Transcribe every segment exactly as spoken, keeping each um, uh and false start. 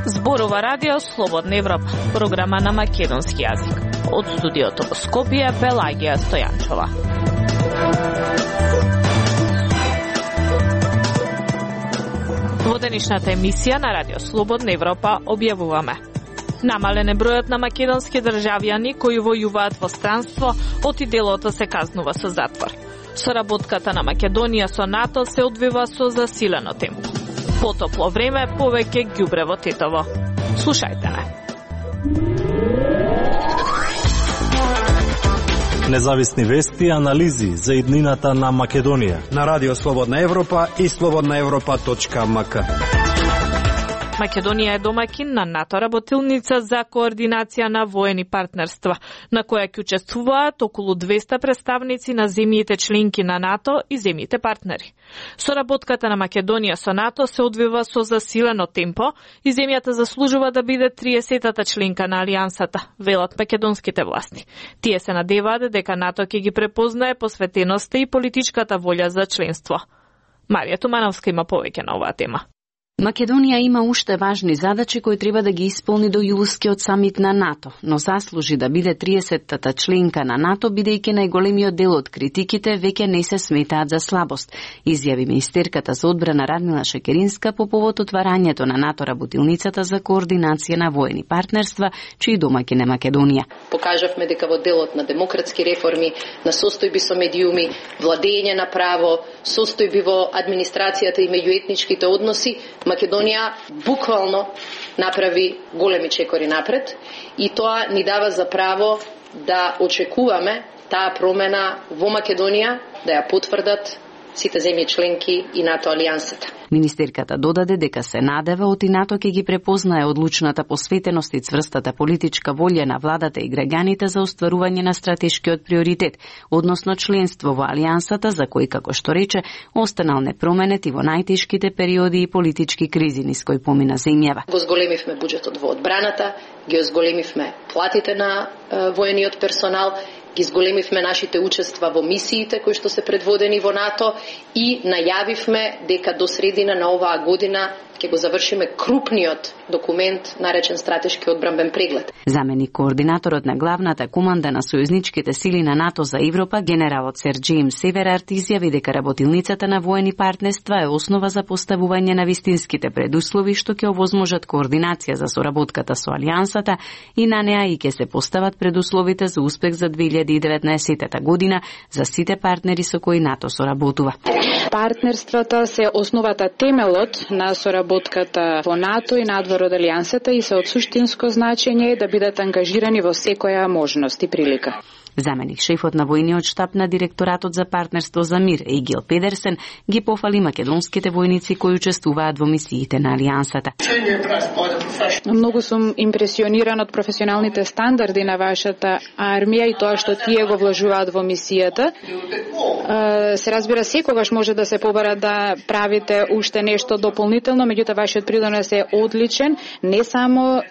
Зборува Радио Слободна Европа, програма на македонски јазик. Од студиото во Скопје, Пелагија Стојанчова. Во денешната емисија на Радио Слободна Европа објавуваме: намален е бројот на македонски државјани кои војуваат во странство, оти делото се казнува со затвор. Соработката на Македонија со НАТО се одвива со засилено темпо. Потопло време, повеќе ѓубрево Тетово. Слушајте не. Независни вести и анализи за иднината на Македонија на Радио Слободна Европа и слободна европа точка ем ка. Македонија е домаќин на НАТО работилница за координација на воени партнерства, на која ќе учествуваат околу двеста представници на земјите членки на НАТО и земјите партнери. Соработката на Македонија со НАТО се одвива со засилено темпо и земјата заслужува да биде триесетата членка на алијансата, велат македонските власти. Тие се надеваат дека НАТО ќе ги препознае посветеноста и политичката волја за членство. Марија Тумановска има повеќе на оваа тема. Македонија има уште важни задачи кои треба да ги исполни до јулскиот самит на НАТО, но заслужи да биде триесеттата членка на НАТО, бидејќи најголемиот дел од критиките веќе не се сметаат за слабост, изјави министерката за одбрана Радмила Шекеринска по повод отварањето на НАТО работилницата за координација на воени партнерства, чиј домаќин е Македонија. Покажавме дека во делот на демократски реформи, на состојби со медиуми, владење на право, состојби во администрацијата и меѓуетничките односи, Македонија буквално направи големи чекори напред и тоа ни дава за право да очекуваме таа промена во Македонија, да ја потврдат сите земји членки и НАТО алијансата. Министерката додаде дека се надева оти НАТО ќе ги препознае одлучната посветеност и цврстата политичка волја на владата и граѓаните за остварување на стратешкиот приоритет, односно членство во алијансата, за кој, како што рече, останал непроменет и во најтешките периоди и политички кризи низ кои помина земјава. Го зголемивме буџетот во одбраната, ги зголемивме платите на е, воениот персонал, ги зголемивме нашите учества во мисиите кои што се предводени во НАТО и најавивме дека до средина на оваа година ќе го завршиме крупниот документ наречен стратешки одбранбен преглед. Заменик координаторот на главната команда на сојузничките сили на НАТО за Европа, генералот Сер Джеймс Северард, изјави дека работилницата на воени партнерства е основа за поставување на вистинските предуслови што ќе овозможат координација за соработката со алијансата и на неа и ќе се постават предусловите за успех за две илјади и деветнаесетта година за сите партнери со кои НАТО соработува. Партнерствата се основата, темелот на соработката во НАТО и надвор од алијансата и се од суштинско значење да бидат ангажирани во секоја можност и прилика. Заменик шефот на војниот штаб на директоратот за партнерство за мир, Егил Педерсен, ги пофали македонските војници кои учествуваат во мисиите на алијансата. Многу сум импресиониран од професионалните стандарди на вашата армија и тоа што тие го вложуваат во мисијата. Се разбира, секогаш може да се побара да правите уште нешто дополнително, меѓутоа вашиот придонес е одличен, не само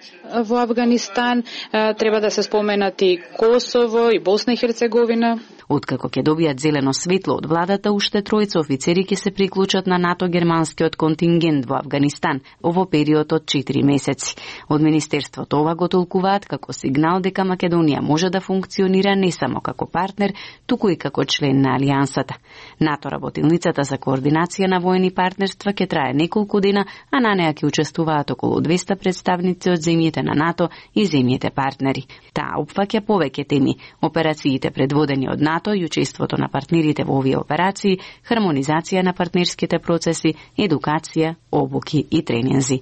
во Авганистан, треба да се споменат и Косово и Босна и Херцеговина. Откако ќе добијат зелено светло од владата, уште тројца офицери ќе се приклучат на НАТО-германскиот контингент во Авганистан во период од четири месеци. Од Министерството ова го толкуваат како сигнал дека Македонија може да функционира не само како партнер, туку и како член на алијансата. НАТО работилницата за координација на воени партнерства ќе трае неколку дена, а на неа ќе учествуваат околу двеста представници од земјите на НАТО и земјите партнери. Таа опфаќа повеќе теми: операциите предводени од НАТО и учеството на партнерите во овие операции, хармонизација на партнерските процеси, едукација, обуки и тренинзи.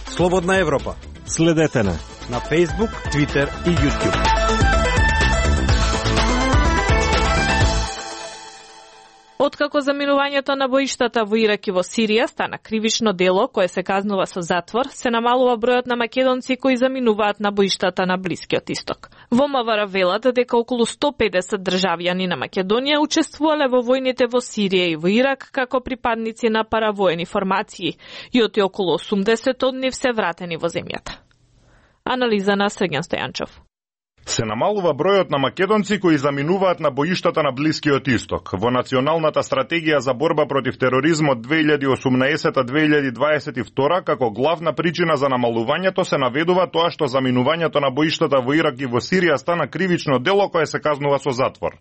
Слободна Европа. Следете на на Facebook, Twitter и YouTube. Откако заминувањето на боиштата во Ирак и во Сирија стана кривично дело кое се казнува со затвор, се намалува бројот на македонци кои заминуваат на боиштата на Блискиот Исток. Во МВР велат дека околу сто педесет државјани на Македонија учествувале во војните во Сирија и во Ирак како припадници на паравоени формации и оти околу осумдесет од нив се вратени во земјата. Анализа на Срѓан Стојанчов. Се намалува бројот на македонци кои заминуваат на боиштата на Блискиот Исток. Во Националната стратегија за борба против тероризмот две илјади и осумнаесета - две илјади дваесет и втора како главна причина за намалувањето се наведува тоа што заминувањето на боиштата во Ирак и во Сирија стана кривично дело кое се казнува со затвор.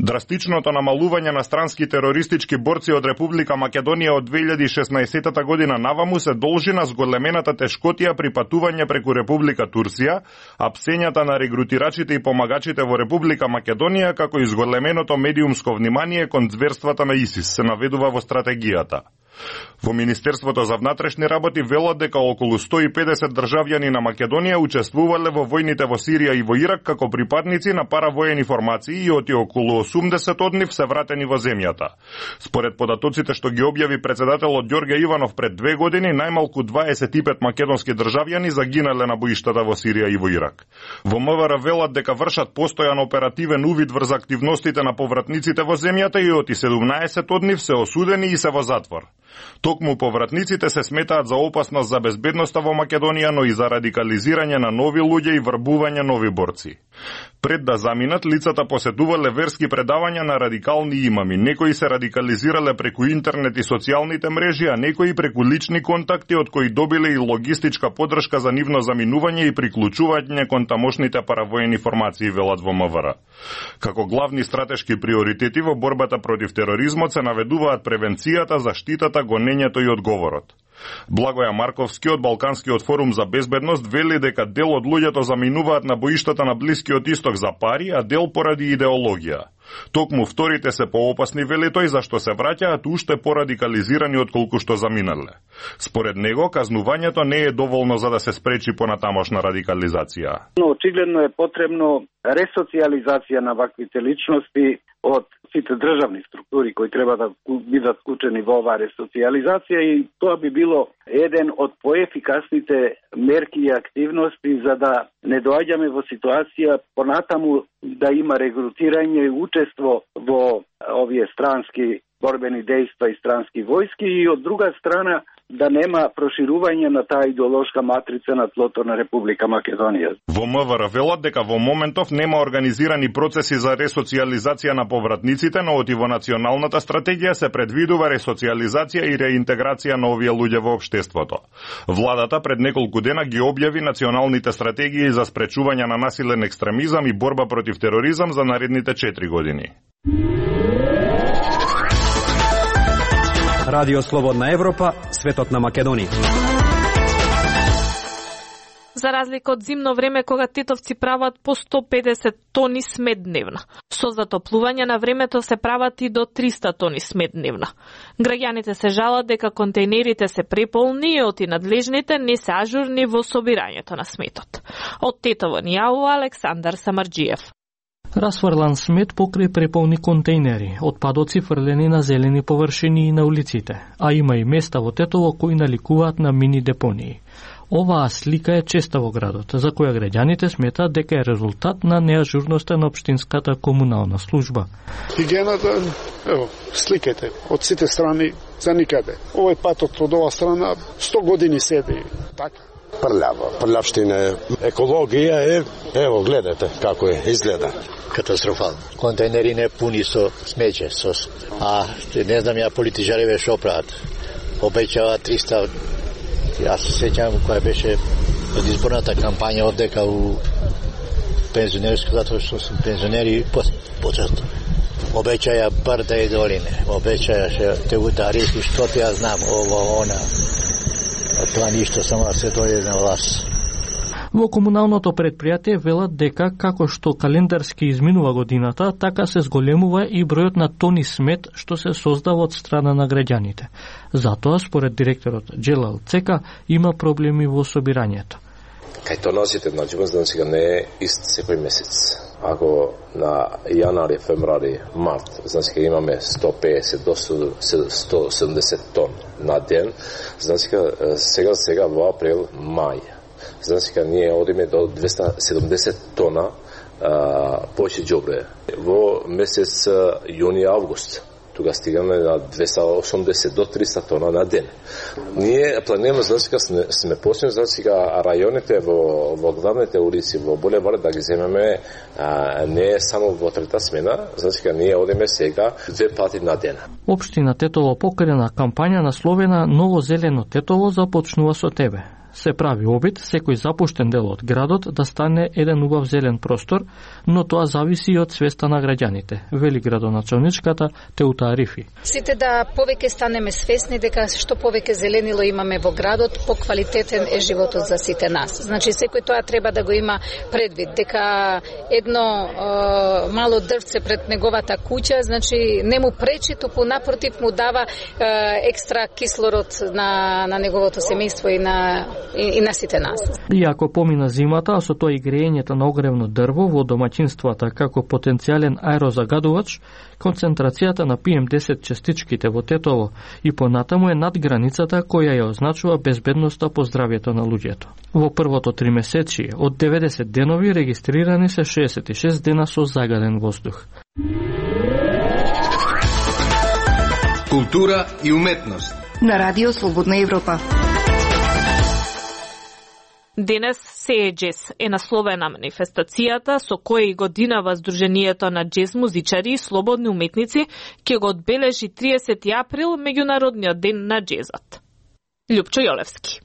Драстичното намалување на странски терористички борци од Република Македонија од две илјади и шеснаесета година наваму се должи на зголемената тешкотија при патување преку Република Турција, а псењата на регрутирачите и помагачите во Република Македонија, како и зголеменото медиумско внимание кон зверствата на ИСИС, се наведува во стратегијата. Во Министерството за внатрешни работи велат дека околу сто и педесет државјани на Македонија учествувале во војните во Сирија и во Ирак како припадници на паравоени формации и оти околу осумдесет од нив се вратени во земјата. Според податоците што ги објави председателот Ѓорѓе Иванов пред две години, најмалку дваесет и пет македонски државјани загинале на боиштата во Сирија и во Ирак. Во МВР велат дека вршат постојан оперативен увид врз активностите на повратниците во земјата и оти седумнаесет од нив се осудени и се во затвор. Токму повратниците се сметаат за опасност за безбедноста во Македонија, но и за радикализирање на нови луѓе и врбување нови борци. Пред да заминат, лицата посетувале верски предавања на радикални имами. Некои се радикализирале преку интернет и социјалните мрежи, а некои преку лични контакти од кои добиле и логистичка подршка за нивно заминување и приклучување кон тамошните паравоени формации, велат во МВР. Како главни стратешки приоритети во борбата против тероризмот се наведуваат превенцијата, заштитата, гонењето и одговорот. Благоја Марковски од Балканскиот форум за безбедност вели дека дел од луѓето заминуваат на боиштата на Блискиот Исток за пари, а дел поради идеологија. Токму вторите се поопасни, вели тој, зашто се враќаат уште порадикализирани отколку што заминале. Според него, казнувањето не е доволно за да се спречи понатамошна радикализација. Но очигледно е потребно ресоциализација на ваквите личности од сите државни структури кои треба да бидат вклучени во оваа ресоциализација, и тоа би било еден од поефикасните мерки и активности за да не доаѓаме во ситуација понатаму да има регрутирање и учество во овие странски борбени дејства и странски војски, и од друга страна да нема проширување на таа идеолошка матрица на тлото на Република Македонија. Во МВР велат дека во моментов нема организирани процеси за ресоциализација на повратниците, но оти во Националната стратегија се предвидува ресоциализација и реинтеграција на овие луѓе во општеството. Владата пред неколку дена ги објави националните стратегии за спречување на насилен екстремизам и борба против тероризам за наредните четири години. Радио Слободна Европа, светот на Македонија. За разлика од зимно време, кога тетовци прават по сто педесет тони смет дневно. Со затоплување на времето се прават и до триста тони смет дневно. Граѓаните се жалат дека контейнерите се преполни и оти надлежните не се ажурни во собирањето на сметот. Од Тетово ни јавува Александар Самарџиев. Расфрлан смет покрај преполни контейнери, отпадоци фрлени на зелени површини и на улиците, а има и места во Тетово кои наликуваат на мини депонии. Оваа слика е честа во градот, за која граѓаните сметаат дека е резултат на неажурноста на општинската комунална служба. Хигиената, ево, сликете, од сите страни за никаде. Овој патот од оваа страна сто години седи. Така. Прљава, прљавштина е. Екологија е, ево, гледате како е, изгледа. Катастрофално. Контейнери не пуни со смеќе, со... а не знам ја политичариве шо прават. Обеќава триста. Јас се сеќавам која беше од изборната кампања овдека у пензионерско, затоа што сум пензионери почесто. Обеќаја брда и долине, обеќаја ше те удари, што ти ја знам, ово, она. Тоа ништо, само да се дојде на власт. Во комуналното предпријатие велат дека како што календарски изминува годината, така се зголемува и бројот на тони смет што се создава од страна на граѓаните. Затоа, според директорот Джелал Цека, има проблеми во собирањето. Кај тонажите, значи, знам сега не е ист секој месец. Ако на јанари, февруари, март, значи имаме сто педесет до сто седумдесет тон на ден, значи сега сега во април, мај. Значи ние одиме до двеста седумдесет тона повеќе џобре. Во месец јуни, август, тука стигаме на двеста и осумдесет до триста тона на ден. Ние планираме за сега сме, сме почнали за сега рајоните во во главните улици во булевар да ги земеме а, не само во трета смена, за сега ние одиме сега две пати на ден. Општина Тетово покрена кампања насловена Ново зелено Тетово започнува со тебе. Се прави обид секој запуштен дел од градот да стане еден убав зелен простор, но тоа зависи и од свеста на граѓаните, вели градоначалничката Теута Арифи. Сите да повеќе станеме свесни дека што повеќе зеленило имаме во градот, поквалитетен е животот за сите нас. Значи секој тоа треба да го има предвид, дека едно е, мало дрвце пред неговата куќа, значи не му пречи, тупу напротив му дава е, екстра кислород на на неговото семејство и на И, и на сите нас. Иако помина зимата, а со тоа и греењето на огревно дрво во домаќинствата како потенцијален аерозагадувач, концентрацијата на пи ем десет частичките во Тетово и понатаму е над границата која ја означува безбедноста по здравјето на луѓето. Во првото тримесечие од деветдесет денови регистрирани се шеесет и шест дена со загаден воздух. Култура и уметност на Радио Слободна Европа. Денес Се е джез е насловена манифестацијата со која и годинава Сдруженијето на джез музичари и слободни уметници ќе го одбележи триесети април меѓународниот ден на джезот. Љупчо Јолевски.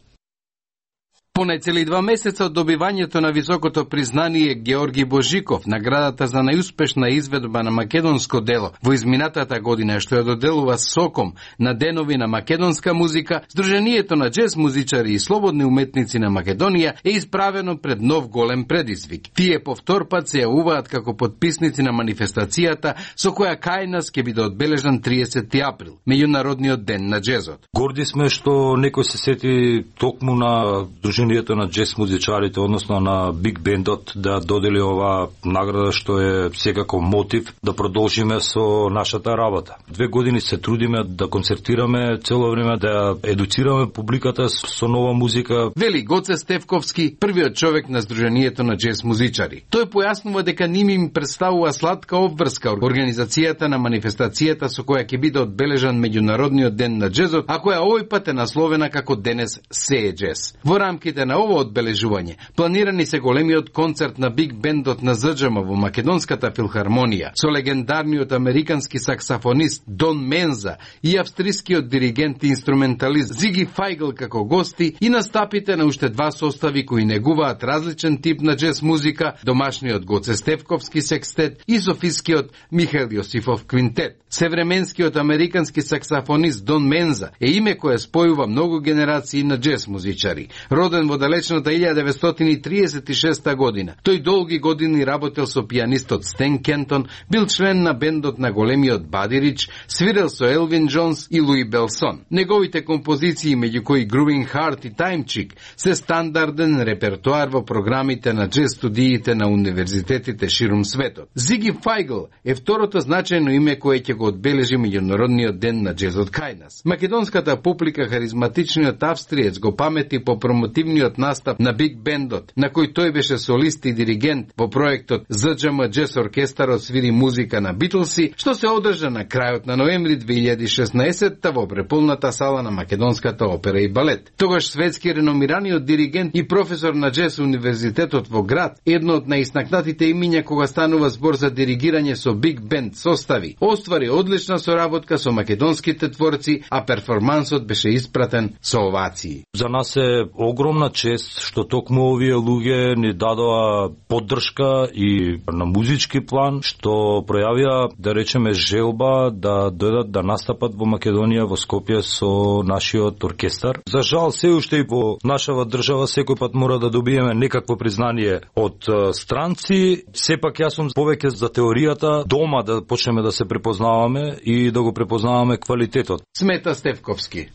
Понајцели два месеца од добивањето на високото признание Георги Божиков, наградата за најуспешна изведба на македонско дело во изминатата година, што ја доделува Соком на денови на македонска музика, Сдруженијето на джез музичари и слободни уметници на Македонија е исправено пред нов голем предизвик. Тие по втор пат се јавуваат како потписници на манифестацијата со која кај нас ќе биде одбележан триесети април, меѓународниот ден на джезот. Горди сме што некој се сети токму на Сдруженијето на джез музичарите, односно на Биг Бендот, да додели ова награда што е секако мотив да продолжиме со нашата работа. Две години се трудиме да концертираме цело време, да едуцираме публиката со нова музика. Вели Гоце Стевковски, првиот човек на Сдруженијето на джез музичари. Тој појаснува дека ним им представува сладка обврска организацијата на манифестацијата со која ќе биде одбележан меѓународниот ден на джезот, а која овој пат е насловена како Денес Се е джез. Во рамките на ово одбележување планирани се големиот концерт на Биг Бендот на ЗДЖМ во Македонската филхармонија со легендарниот американски саксафонист Дон Менза и австрискиот диригент и инструменталист Зиги Фајгл како гости и настапите на уште два состави кои негуваат различен тип на джез музика, домашниот Гоце Стевковски секстет и софискиот Михаил Јосифов квинтет. Севременскиот американски саксафонист Дон Менза е име кое спојува многу генерации на джез музичари. Роден во далечната илјада деветстотини и триесет и шеста година, тој долги години работел со пијанистот Стен Кентон, бил член на бендот на големиот Бади Рич, свирел со Елвин Джонс и Луи Белсон. Неговите композиции, меѓу кои Grooving Heart и Time Chick, се стандарден репертоар во програмите на джез студиите на универзитетите ширум светот. Зиги Фајгл е второто значајно име кое ќе го одбележи меѓународниот ден на джезот кај нас. Македонската публика харизматичниот австриец го памети по промотивниот настап на Биг Бендот, на кој тој беше солист и диригент во проектот ЗДЖМ Джез Оркестарот свири музика на Битлси, што се одржа на крајот на ноември две илјади и шеснаесетта во преполната сала на Македонската опера и балет. Тогаш светски реномираниот диригент и професор на джез универзитетот во град, едно од најисtakнатите имиња кога станува збор за диригирање со Биг Бенд состави, оствари одлична соработка со македонските творци, а перформансот беше испратен со овации. За нас е огромна чест што токму овие луѓе ни дадоа поддршка и на музички план, што пројавија, да речеме, желба да дојдат да настапат во Македонија, во Скопје со нашиот оркестар. За жал, се уште и во нашава држава секој пат мора да добиеме некакво признание од странци. Сепак јас сум повеќе за теоријата, дома да почнеме да се препознаваме и да го препознаваме квалитетот. Смета Стевковски.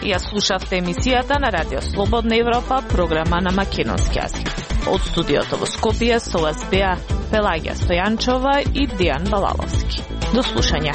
Ја слушавте емисијата на Радио Слободна Европа, програма на македонски јазик. Од студиото во Скопје со вас беа Пелагија Стојанчова и Дијан Балаловски. До слушање.